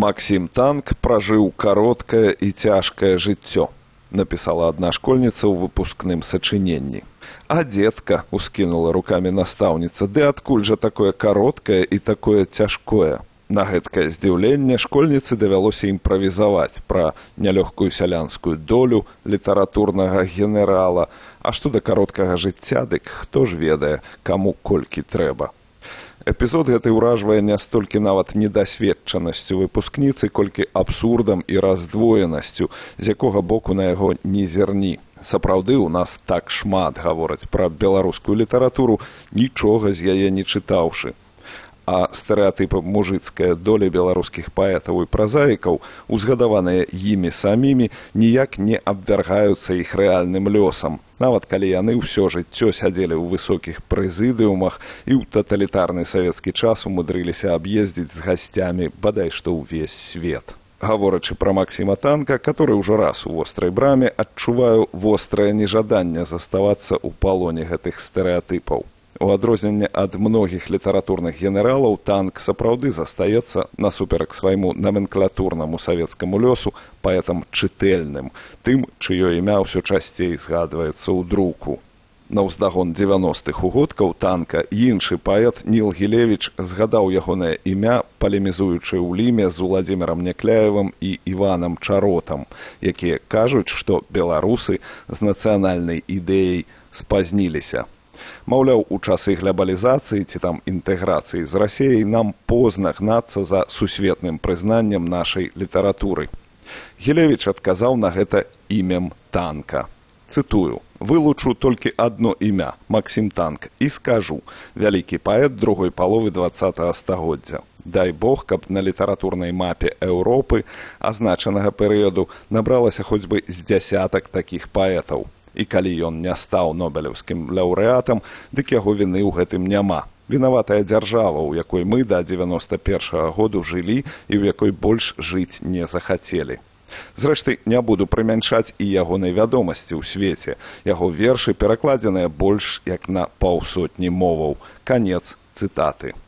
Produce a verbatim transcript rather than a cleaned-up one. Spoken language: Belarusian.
Максім Танк пражыў кароткае і цяжкае жыццё, напісала адна школьніца ў выпускным сачыненні. А дзетка, ускінула рукамі настаўніца, ды адкуль жа такое кароткае і такое цяжкое? На гэткае здзіўленне школьніцы давялося імправізаваць пра нялёгкую сялянскую долю літаратурнага генерала, а што да кароткага жыцця, дык хто ж ведае, каму колькі трэба. Эпізод гэты ўражвае не столькі нават недасведчанасцю выпускніцы, колькі абсурдам і раздвоенасцю, з якога боку на яго не зерні. Сапраўды, у нас так шмат гавораць пра беларускую літаратуру, нічога з яе не чытаўшы. А стэрэатыпы мужыцкая доля беларускіх паэтаў і празаікаў, узгадаваныя імі самімі, ніяк не абвяргаюцца іх рэальным лёсам, нават калі яны ўсё жыццё сядзелі ў высокіх прэзідыумах і ў таталітарны савецкі час умудрыліся аб'ездзіць з гасцямі бадай што ўвесь свет. Гаворачы пра Максіма Танка, который ўжо раз у вострай браме, адчуваю вострае нежаданне заставацца ў палоне гэтых стэрэатыпаў. У адрозненне ад многіх літаратурных генералаў, Танк сапраўды застаецца, насуперак свайму наменклатурнаму савецкаму лёсу, паэтам чытэльным, тым, чыё імя ўсё часцей згадваецца ў друку. На ўздагон дзевяностых угодкаў Танка іншы паэт Ніл Гілевіч згадаў ягонае імя, палемізуючы ў ліме з Уладзімірам Някляевым і Іванам Чаротам, якія кажуць, што беларусы з нацыянальнай ідэяй спазніліся. Маўляў, у часы глобалізацыі ці там інтэграцыі з Расіяй нам позна гнацца за сусветным прызнаннем нашай літаратуры. Гілевіч адказаў на гэта імем Танка. Цытую: «Вылучу толькі адно імя, Максім Танк, і скажу, вялікі паэт другой паловы дваццатага стагоддзя. Дай Бог, каб на літаратурнай мапе Еўропы азначанага перыяду набралася хоць бы з дзясятак такіх паэтаў. І калі ён не стаў нобелеўскім лаўрэатам, дык яго віны ў гэтым няма. Вінаватая дзяржава, у якой мы да дзевяноста першага году жылі і ў якой больш жыць не захацелі. Зрэшты, не буду прымяншаць і ягонай вядомасці ў свеце. Яго вершы перакладзеныя больш як на паўсотні моваў. Канец цытаты.